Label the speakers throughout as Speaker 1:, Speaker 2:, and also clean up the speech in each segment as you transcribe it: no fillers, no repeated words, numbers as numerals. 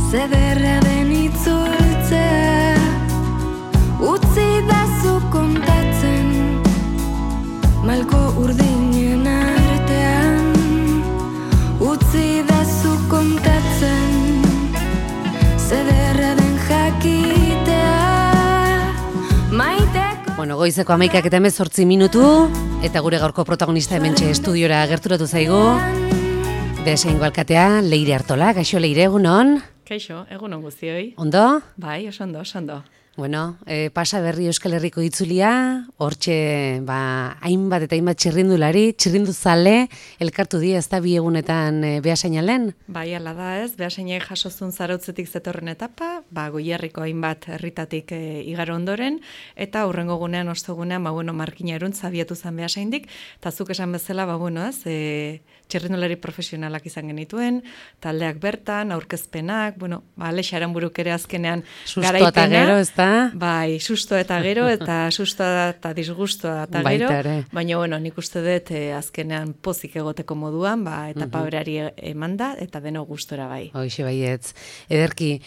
Speaker 1: Zederra den itzultzea, utzi dazu kontatzen, malko urdinen artean, utzi dazu kontatzen, zederra den jakitea, maiteko...
Speaker 2: Bueno, goizeko 11:18 minutu, eta gure gaurko protagonista hementxe estudiora gerturatu zaigu. Beasaingo alkatea, Leire Artola. Kaixo, Leire, egunon?
Speaker 3: Kaixo, egunon guztioi.
Speaker 2: Ondo?
Speaker 3: Bai, oso ondo.
Speaker 2: Bueno, pasa berri Euskal Herriko itzulia, hortxe, hainbat eta hainbat txirrinduzale, elkartu dira ez da bi egunetan Beasainalen?
Speaker 3: Bai, ala da ez, Beasainai jasozun zarautzetik zetorren etapa, Goierriko hainbat herritatik igaro ondoren, eta hurrengo gunean, ostegunean, markina eruntz abiatu zen Beasaindik, eta zuk esan bezala, txirrindulari profesionalak izan genituen, taldeak bertan, aurkezpenak, Alex Aranburuk ere azkenean garaipena. Susto eta
Speaker 2: gero, ez da?
Speaker 3: Bai, susto eta gero, eta sustoa eta disgustoa eta gero, baina, nik uste dut azkenean pozik egoteko moduan, etapa berari emanda, eta deno gustora bai.
Speaker 2: Hoxe baietz. Ederki,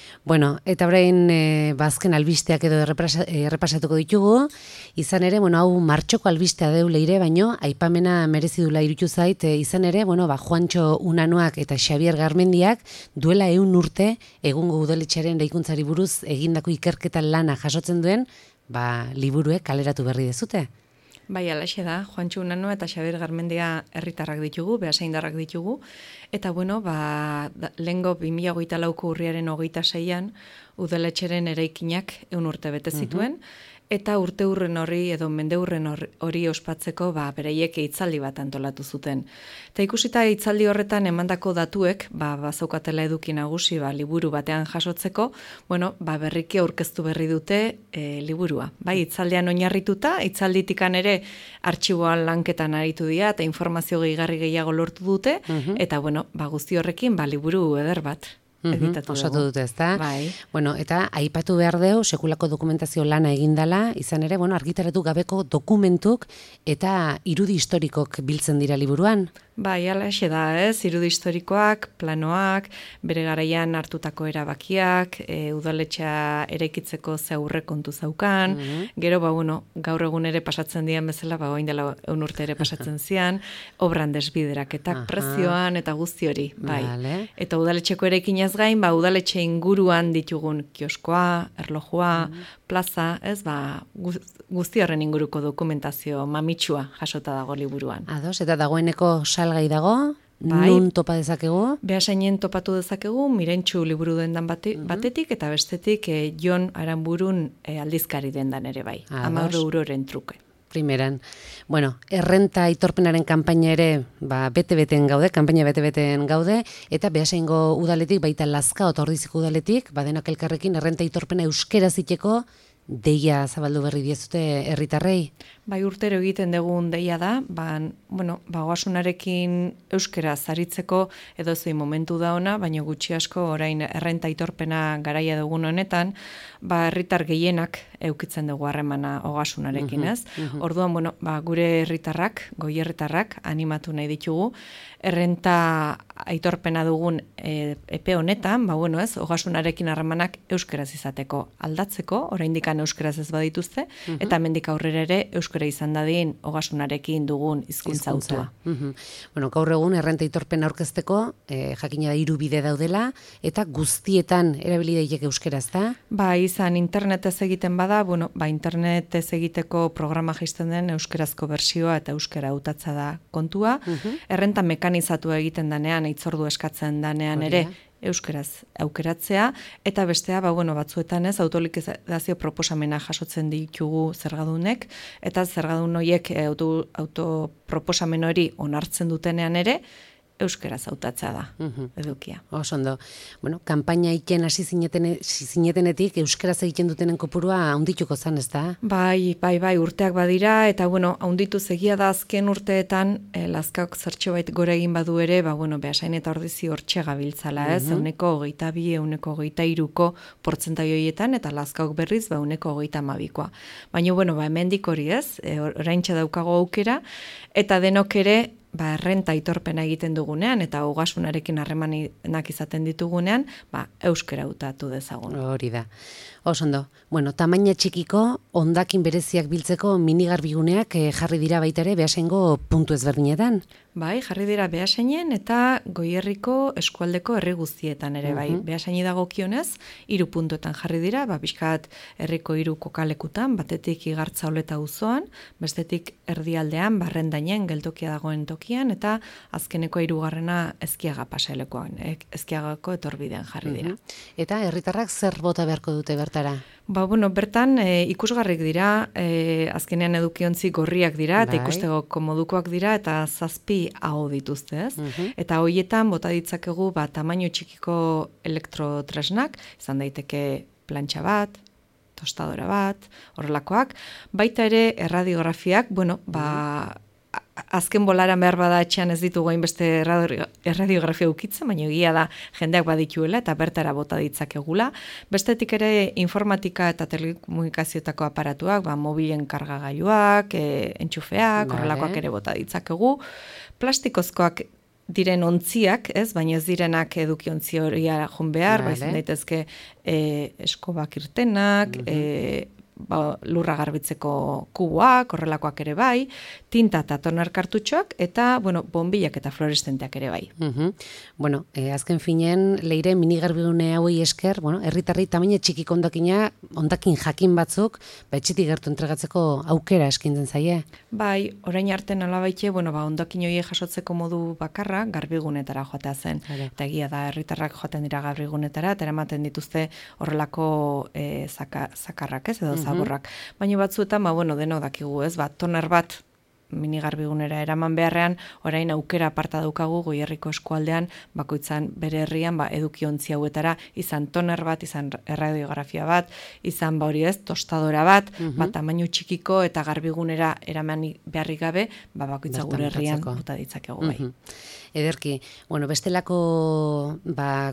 Speaker 2: eta orain azken albisteak edo errepasatuko ditugu, izan ere, hau martxoko albistea deu Leire, baino, aipamena merezi dula irutu zait, izan ere, Juantxo Unanoak eta Xabier Garmendiak duela 100 urte egungo udaletxearen eraikuntzari buruz egindako ikerketa lana jasotzen duen, liburuek kaleratu berri dezute.
Speaker 3: Bai, alaxe da, Juantxo Unano eta Xabier Garmendia herritarrak ditugu, beasaindarrak ditugu, eta lehengo 2024ko urriaren 26an udaletxeren eraikinak 100 urte bete zituen, eta urte hurren hori edo mende hurren hori ospatzeko beraiek hitzaldi bat antolatu zuten. Eta ikusita hitzaldi horretan emandako datuek, bazaukatela eduki nagusi liburu batean jasotzeko, berriki aurkeztu berri dute liburua. Bai, hitzaldean oinarrituta, hitzalditikan ere artxiboan lanketan aritu dira eta informazio gehigarri gehiago lortu dute, eta guzti horrekin liburu eder bat.
Speaker 2: Osatu dute, ez da?
Speaker 3: Bai.
Speaker 2: Eta aipatu behar deu, sekulako dokumentazio lana egindala, izan ere, argitaratu gabeko dokumentuk eta irudi historikok biltzen dira liburuan.
Speaker 3: Bai, alaxe da, ez? Irudi historikoak, planoak, bere garaian hartutako erabakiak, udaletxea eraikitzeko ze aurre kontu zaukan, gero, gaur egun ere pasatzen dian bezala, oin dela 100 urte ere pasatzen zian, obran desbideraketak prezioan eta guzti hori, bai.
Speaker 2: Vale.
Speaker 3: Eta udaletxeko eraikinaz gain, udaletxe inguruan ditugun kioskoa, erlojua, plaza, ez, guzti horren inguruko dokumentazio mamitsua jasota dago liburuan.
Speaker 2: Ados, eta dagoeneko salgai dago, nun topa dezakegu?
Speaker 3: Beasainen topatu dezakegu, Mirentxu liburu dendan batetik, eta bestetik Jon Aranburun aldizkari dendan ere bai. 10 euroren truke.
Speaker 2: Primeran. Errenta aitorpenaren kanpaina ere bete-beten gaude, eta Beasaingo udaletik, baita Lazkao eta Ordiziko udaletik, denak elkarrekin errenta aitorpena euskera ziteko deia zabaldu berri diezute herritarrei.
Speaker 3: Bai, urtero egiten dugun deia da, oasunarekin euskera zaritzeko edo zein momentu da ona, baina gutxi asko orain errenta aitorpena garaia dugun honetan, herritar gehienak eukitzen dugu harremana ogasunarekin, ez? Orduan, gure herritarrak, goierritarrak animatu nahi ditugu, errenta aitorpena dugun epe honetan, ez, ogasunarekin harremanak euskeraz izateko aldatzeko, oraindikan euskeraz ez badituzte, eta hemendik aurrera ere euskera izan dadin ogasunarekin dugun hizkuntza autua.
Speaker 2: Gaur egun errenta aitorpena aurkezteko, jakina da 3 bide daudela, eta guztietan erabili daiteke euskera, ez da?
Speaker 3: Izan internetez egiten bada, internetez egiteko programa jaisten den euskerazko bertsioa eta euskera hautatza da kontua. Errenta mekanizatu egiten danean, hitzordu eskatzen danean ere, euskeraz aukeratzea, eta bestea, batzuetan ez, autolikizazio proposamena jasotzen ditugu zergadunek, eta zergadun horiek autoproposamen hori onartzen dutenean ere, euskeraz hautatza da, edukia.
Speaker 2: Osondo. Kanpaina iken hasi zinetenetik euskeraz egiten dutenen kopurua haundituko zan, ez da? Bai,
Speaker 3: urteak badira, eta haunditu zegia da azken urteetan, Lazkaok zertxo bait gore egin badu ere, Beasain eta Ordizi hortxe gabiltzala, ez? 22, 23ko portzentai horietan, eta Lazkaok berriz, 22koa. Baina, hemendik hori, ez? Oraintxe daukago aukera, eta denok ere, errenta aitorpena egiten dugunean eta ogasunarekin harremanak izaten ditugunean, euskera hautatu dezagun.
Speaker 2: Hori da. Oso ondo. Bueno, tamaina txikiko hondakin bereziak biltzeko minigarbiguneak jarri dira baita ere Beasaingo puntu ezberdinetan.
Speaker 3: Bai, jarri dira Beasainen eta Goierriko eskualdeko herri guztietan ere bai. Beasaini dagokionez 3 puntuetan jarri dira, pixkat herriko 3 kokalekutan, batetik Igartzaoleta auzoan, bestetik erdialdean Barrendainen geltokia dagoen tokian eta azkeneko 3. Ezkiaga pasailekoan, Ezkiagako etorbidean jarri dira.
Speaker 2: Eta herritarrak zer bota beharko dute bertara?
Speaker 3: Bertan ikusgarrik dira, azkenean edukiontzi gorriak dira, eta ikusteko komodukoak dira, eta 7 aho dituzte, ez? Eta hoietan bota ditzakegu tamaino txikiko elektrotresnak, izan daiteke plantxa bat, tostadora bat, horrelakoak, baita ere erradiografiak, azken bolaran behar bada etxean ez ditugu hainbeste erradiografia ukitzen, baina egia da jendeak badituela eta bertara bota ditzakegula. Bestetik ere informatika eta telekomunikazioetako aparatuak, mobilen kargagailuak, entxufeak, horrelakoak ere bota ditzakegu. Plastikozkoak diren ontziak, ez, baina ez direnak edukiontzi horia joan behar, izan daitezke eskobak irtenak, lurra garbitzeko kuboak, horrelakoak ere bai, tinta eta toner kartutxoak, eta, bonbilak eta fluoreszenteak ere bai.
Speaker 2: Azken finen, Leire minigarbigune hauei esker, herritarri tamaina txikiko hondakin jakin batzuk, etxetik gertu entregatzeko aukera eskintzen zaie.
Speaker 3: Bai, orain arte nolabaite, hondakin horiek jasotzeko modu bakarra, garbigunetara joatea zen. Eta egia da, herritarrak joaten dira garbigunetara, eta eramaten dituzte horrelako zakarrak, ez, edo zaborrak. Baina batzuetan, denok dakigu, ez, toner bat minigarbigunera eraman beharrean, orain aukera aparta daukagu Goierriko eskualdean, bakoitzan bere herrian, edukiontzi hauetara, izan toner bat, izan erradiografia bat, izan tostadora bat, tamaino txikiko eta garbigunera eraman beharrik gabe, bakoitza gure herrian bota ditzakegu bai.
Speaker 2: Ederki, bestelako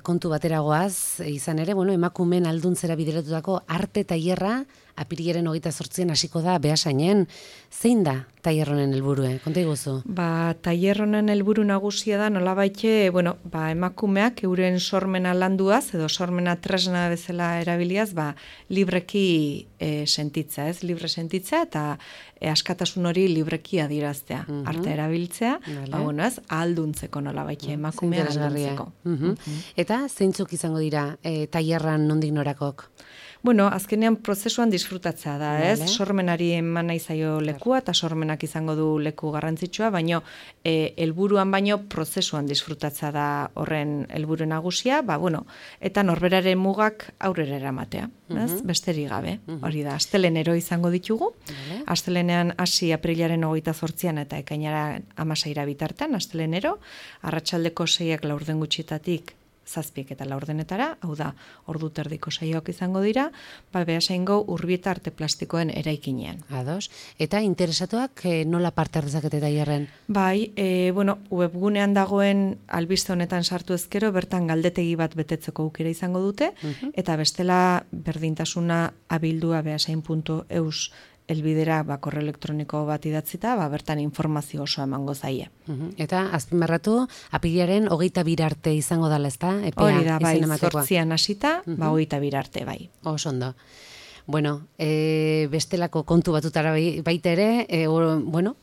Speaker 2: kontu bateragoaz, izan ere, emakumeen alduntzera bideratutako arte tailerra apirilaren 28an hasiko da Beasainen. Zein da tailer honen helburua? Konta iguzu.
Speaker 3: Tailer honen helburu nagusia da nolabaite, emakumeak euren sormena landuaz edo sormena tresna bezala erabiliaz, libreki sentitza, ez? Libre sentitza eta askatasun hori libreki adieraztea. Arte erabiltzea, ez? Ahalduntzeko nolabaite emakumea ahalduntzeko.
Speaker 2: Eta zeintzuk izango dira tailerran nondik norakok?
Speaker 3: Azkenean prozesuan disfrutatzea da, ez? Sormenari eman nahi zaio lekua eta sormenak izango du leku garrantzitsua, baino helburuan baino prozesuan disfrutatzea da horren helburu nagusia, eta norberaren mugak aurrera eramatea, ez? Besterik gabe. Hori da, astelenero izango ditugu. Astelenean hasi aprilaren 28an eta ekainaren 16 bitartean, astelenero, arratsaldeko 6ak 4 gutxietatik 7 eta 4 hau da, ordu terdiko saioak izango dira, Beasaingo Urbieta arte plastikoen eraikinean.
Speaker 2: Ados. Eta interesatuak nola parte hartzakete tailerren?
Speaker 3: Bai, webgunean dagoen albiste honetan sartu ezkero, bertan galdetegi bat betetzeko aukera izango dute, eta bestela berdintasuna abildua beasain.eus elbidera korreo elektroniko bat idatzita, bertan informazio osoa emango zaie.
Speaker 2: Eta azpimarratu, apirilaren 22 arte izango dela, ezta?
Speaker 3: Hori da, bai, 8an hasita, 22 arte, bai.
Speaker 2: Oso ondo. Bestelako kontu batutara baita ere,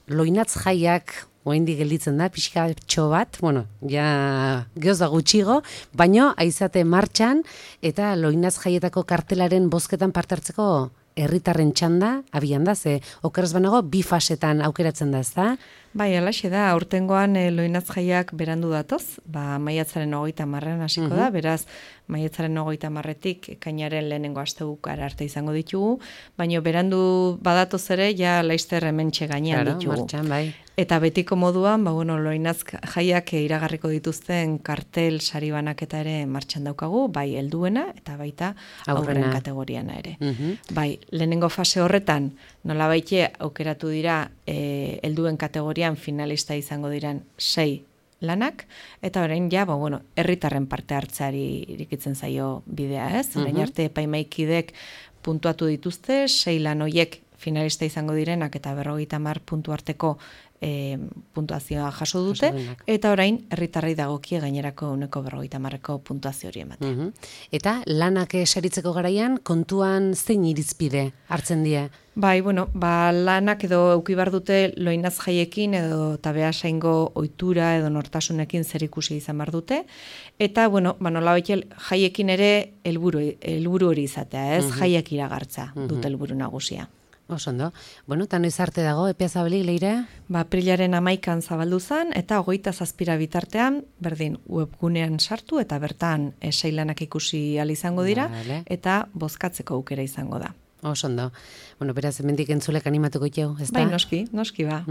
Speaker 2: loinatz jaiak oraindik gelditzen da, pixkatxo bat, geoz da gutxigo, baino aizate martxan, eta loinatz jaietako kartelaren bozketan parte hartzeko herritarren txanda, abian da, ze okeraz banago, 2 fasetan aukeratzen da, ezta?
Speaker 3: Bai, alaxe da, aurtengoan loinatz jaiak berandu datoz, maiatzaren 30an hasiko da, beraz, maiatzaren 30etik ekainaren lehenengo astebukara arte izango ditugu, baina berandu badatoz ere, ja laizter hementxe gainean ditugu.
Speaker 2: Martxan, bai.
Speaker 3: Eta betiko moduan, loinatz jaiak iragarriko dituzten kartel sari banaketa ere martxan daukagu, bai helduena eta baita aurren kategoriana ere. Bai, lehenengo fase horretan, nolabaite aukeratu dira helduen kategorian finalista izango diren 6 lanak, eta orain herritarren parte hartzeari irikitzen zaio bidea, ez? Orain arte epaimaikidek puntuatu dituzte, 6 lan hoiek finalista izango direnak eta 50 puntu arteko puntuazioa jaso dute, eta orain herritarrei dagokie gainerako 50%ko puntuazio hori ematen.
Speaker 2: Eta lanak saritzeko garaian kontuan zein irizpide hartzen die?
Speaker 3: Bai, bueno, lanak edo eduki behar dute loinaz jaiekin edo eta behasaingo ohitura edo nortasunekin zerikusi izan behar dute. Eta, bueno, nolabait jaiekin ere helburu hori izatea, ez? Jaiak iragartza dute helburu nagusia.
Speaker 2: Osondo. Bueno, eta noiz arte dago, epea zabalik, Leire?
Speaker 3: Aprilaren 11an zabaldu zen, eta 27 bitartean, berdin, webgunean sartu, eta bertan sailanak ikusi ahal izango dira, eta bozkatzeko aukera izango da.
Speaker 2: Osondo. Bueno, beraz, hemendik entzulek animatuko jau, ez da?
Speaker 3: Bai, noski ba.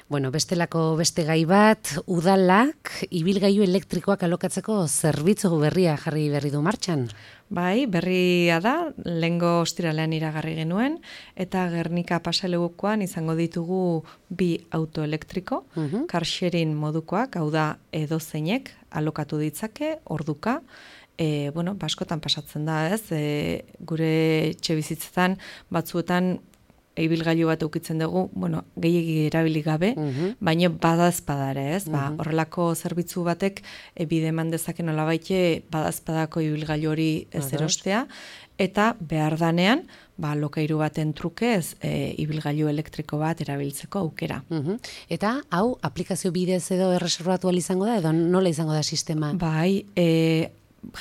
Speaker 2: Bueno, bestelako beste gai bat, udalak ibilgailu elektrikoak alokatzeko zerbitzu berria jarri berri du martxan.
Speaker 3: Bai, berria da, lehengo ostiralean iragarri genuen, eta Gernika pasalegukoan izango ditugu 2 auto elektriko, car sharing modukoak, hau da edozeinek alokatu ditzake, orduka, askotan pasatzen da, ez? Gure etxebizitzetan batzuetan ibilgailu bat ukitzen dugu, gehiegi erabili gabe, baina badazpadare, ez? Horrelako zerbitzu batek bide eman dezake nolabaite badazpadako ibilgailu hori ez erostea, eta behar danean, lokairu baten trukez ibilgailu elektriko bat erabiltzeko aukera.
Speaker 2: Eta hau aplikazio bidez edo erreserbatu izango da, edo nola izango da sistema?
Speaker 3: Bai,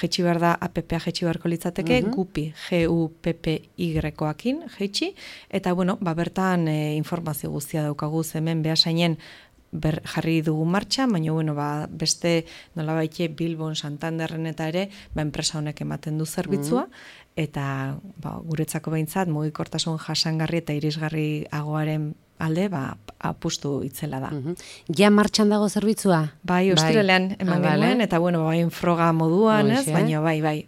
Speaker 3: jetxi behar da, APP-a jetxi beharko litzateke, gupi, GUPPY-akin jetxi, eta bertan informazio guztia daukagu hemen behasainen jarri dugu martxa, baina beste nolabaite Bilbon, Santanderren eta ere, enpresa honek ematen du zerbitzua, eta guretzako behintzat mugikortasun jasangarri eta irisgarri agoaren alde, apustu itzela da.
Speaker 2: Ja martxan dago zerbitzua?
Speaker 3: Bai, ostiralean eman genuen, eta froga moduan, ez? Baina bai.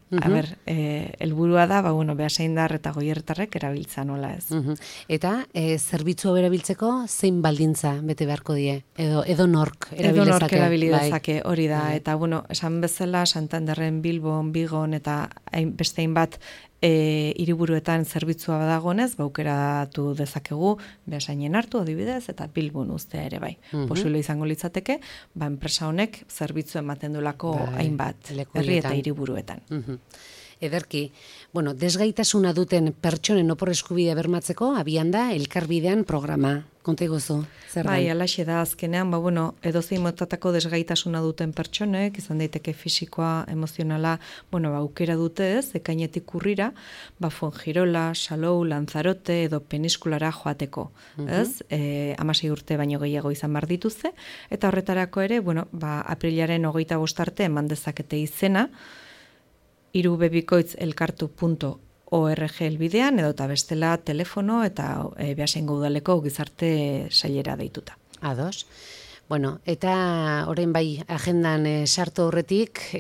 Speaker 3: Helburua da, behasaindar eta goierretarrek erabiltza nola, ez?
Speaker 2: Eta zerbitzu erabiltzeko zein baldintza bete beharko die? Edo nork
Speaker 3: erabilidezake, hori da. Eta, esan bezala, Santanderren, Bilbon, Bigon, eta beste hainbat hiriburuetan zerbitzua badagonez, aukeratu dezakegu behasainen hartu adibidez eta Bilbon uztea ere bai. Posible izango litzateke, enpresa honek zerbitzu ematen dulako hainbat herri eta hiriburuetan.
Speaker 2: Ederki, desgaitasuna duten pertsonen opor eskubidea bermatzeko abian da Elkarbidean programa. Konta iguzu, zer da?
Speaker 3: Bai, alaxe da azkenean, edozein motatako desgaitasuna duten pertsonek, izan daiteke fisikoa, emozionala, aukera dute ez, ekainetik urrira, Fuengirola, Salou, Lanzarote edo Peniskulara joateko, ez? 16 urte baino gehiago izan behar dituzte, eta horretarako ere, aprilaren 25 arte eman dezakete izena, irubebikoitzelkartu.org helbidean, edo eta bestela telefono eta behasaingo udaleko gizarte sailera deituta.
Speaker 2: Ados. Eta orain bai agendan sartu horretik,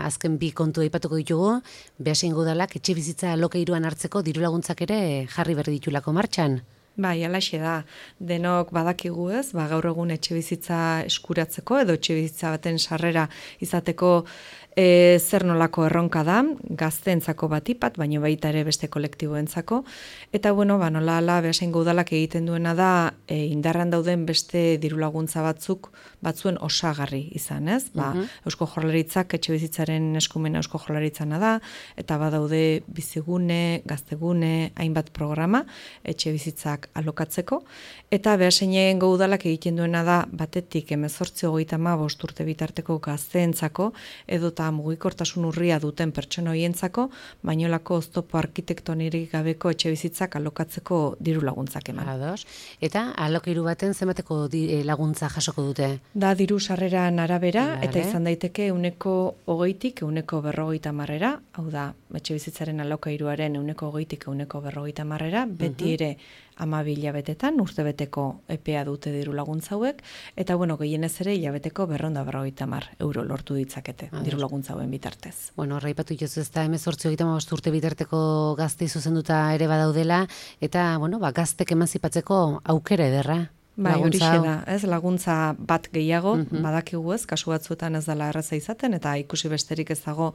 Speaker 2: azken 2 kontu aipatuko ditugu, behasaingo udalak etxe bizitza alokairuan hartzeko dirulaguntzak ere jarri berri ditulako martxan.
Speaker 3: Bai, alaxe da. Denok badakigu ez, gaur egun etxe bizitza eskuratzeko edo etxe bizitza baten sarrera izateko zer nolako erronka da, gazteentzako batipat, baina baita ere beste kolektiboentzako. Eta nola ala behasaingo udalak egiten duena da indarran dauden beste dirulaguntza batzuen osagarri izan, ez? Eusko Jaurlaritzak etxe bizitzaren eskumena Eusko Jaurlaritzana da, eta badaude bizigune, gaztegune, hainbat programa etxe bizitzak alokatzeko, eta behasaingo udalak egiten duena da batetik 18-35 urte bitarteko gazteentzako edota mugikortasun urria duten pertsona hoientzako, bainolako oztopo arkitektonirik gabeko etxe bizitzak alokatzeko diru laguntzak eman.
Speaker 2: Ados. Eta alokairu baten zenbateko laguntza jasoko dute?
Speaker 3: Da diru sarreran arabera, eta izan daiteke 120-tik 150-era, hau da, etxe bizitzaren alokairuaren 120-tik 150-era, beti ere 12 hilabetetan, urtebeteko epea dute diru laguntza hauek, eta gehienez ere hilabeteko 250 euro lortu ditzakete diru laguntza hauen bitartez.
Speaker 2: Horraipatu jozu ez da 18-35 urte bitarteko gaztei zuzenduta ere badaudela, eta gaztek emanzipatzeko aukera ederra.
Speaker 3: Bai,
Speaker 2: laguntza
Speaker 3: horixe
Speaker 2: hau?
Speaker 3: da, ez, laguntza bat gehiago, badakigu ez, kasu batzuetan ez dela erraza izaten, eta ikusi besterik ez dago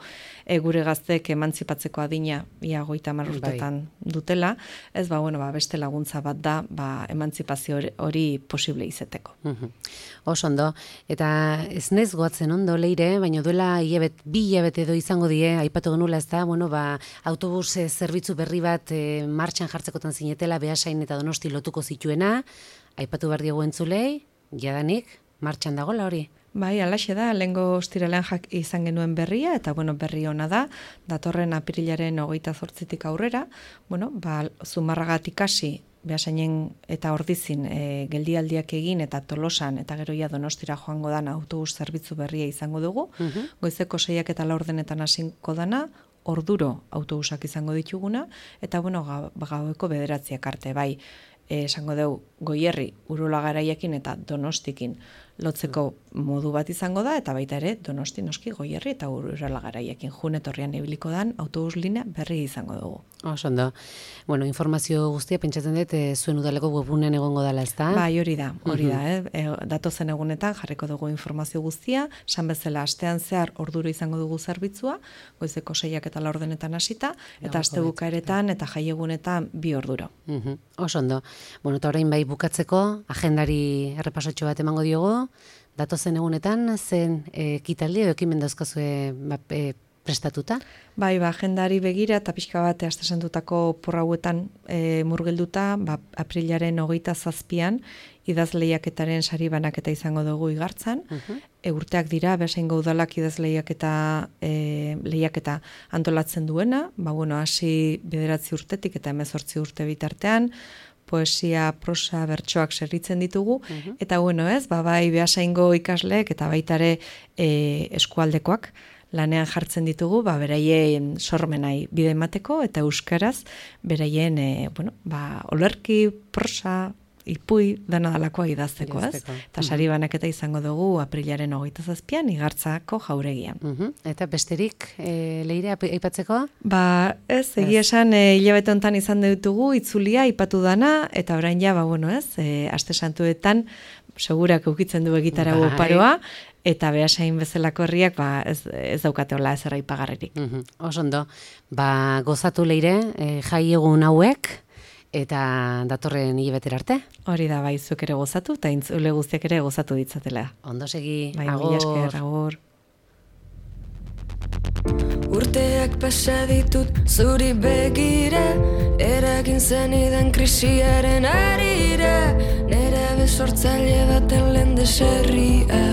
Speaker 3: gure gazteek emantzipatzeko adina ia 30 urtetan dutela, ez, beste laguntza bat da, emantzipazio hori posible izeteko.
Speaker 2: Oso ondo, eta ez nez goatzen ondo leire, baina duela bi hilabete edo izango die, aipatu genula ez da, autobus zerbitzu berri bat martxan jartzekotan zinetela, Beasain eta Donosti lotuko zituena, aipatu behar diegu entzulei, jadanik, martxan dagoela hori?
Speaker 3: Bai, alaxe da, lehengo ostiralean izan genuen berria, eta berri ona da, datorren apirilaren 28tik aurrera, Zumarragatik hasi, Beasainen eta Ordizin geldialdiak egin eta Tolosan eta gero ja Donostira joango dana autobus zerbitzu berria izango dugu. Goizeko 6ak eta 4denetan hasiko dana, orduro autobusak izango dituguna, eta gaueko 9ak arte, bai, esango dugu Goierri, Urola Garaiekin eta Donostikin lotzeko modu bat izango da, eta baita ere Donosti noski Goierri eta Urola Garaiekin jun etorrian ibiliko dan autobus linea berri izango dugu.
Speaker 2: Oso ondo. Informazio guztia pentsatzen dut zuen udaleko webunean egongo dela, ezta?
Speaker 3: Bai, hori da. Datozen egunetan jarriko dugu informazio guztia, san bezala astean zehar orduro izango dugu zerbitzua, goizeko 6ak eta 4denetan hasita, eta astebukaeretan eta jaiegunetan 2 orduro.
Speaker 2: Oso ondo. Eta orain bai bukatzeko, agendari errepasotxo bat emango diogu, datozen egunetan, zen ekitaldi edo ekimen dauzkazue prestatuta?
Speaker 3: Bai, agendari begira eta pixka bat astesentutako porrauetan murgilduta, aprilaren 27an idazleiaketaren sari banaketa izango dugu Igartzan. Urteak dira, Beasaingo udalak idazleiaketa lehiaketa antolatzen duena, hasi 9 urtetik eta 18 urte bitartean, poesia, prosa, bertsoak serritzen ditugu, eta bai Beasaingo ikasleek eta baitare eskualdekoak lanean jartzen ditugu, beraien sormenai bide emateko, eta euskaraz beraien, olerki, prosa, ipui, dana dalakoa idazteko, ez? Eta sari banaketa izango dugu aprilaren 27an Igartzako jauregian.
Speaker 2: Eta besterik leire aipatzeko?
Speaker 3: Ez, egia esan hilabete hontan izan ditugu, itzulia aipatu dana, eta orain ja, aste santuetan, segurak eukitzen du egitarago paroa, eta Beasain bezalako herriak ez daukate hola ez erraipagarririk.
Speaker 2: Oso ondo, gozatu leire, jai egun hauek, eta datorren hilabetera arte.
Speaker 3: Hori da, bai, zuk ere gozatu, eta intzule guztiak ere gozatu ditzatela.
Speaker 2: Ondo segi,
Speaker 3: agur.
Speaker 1: Urteak pasa ditut zuri begira, eragin zenidan krisiaren arira, nera besortzaile baten lehen deserria.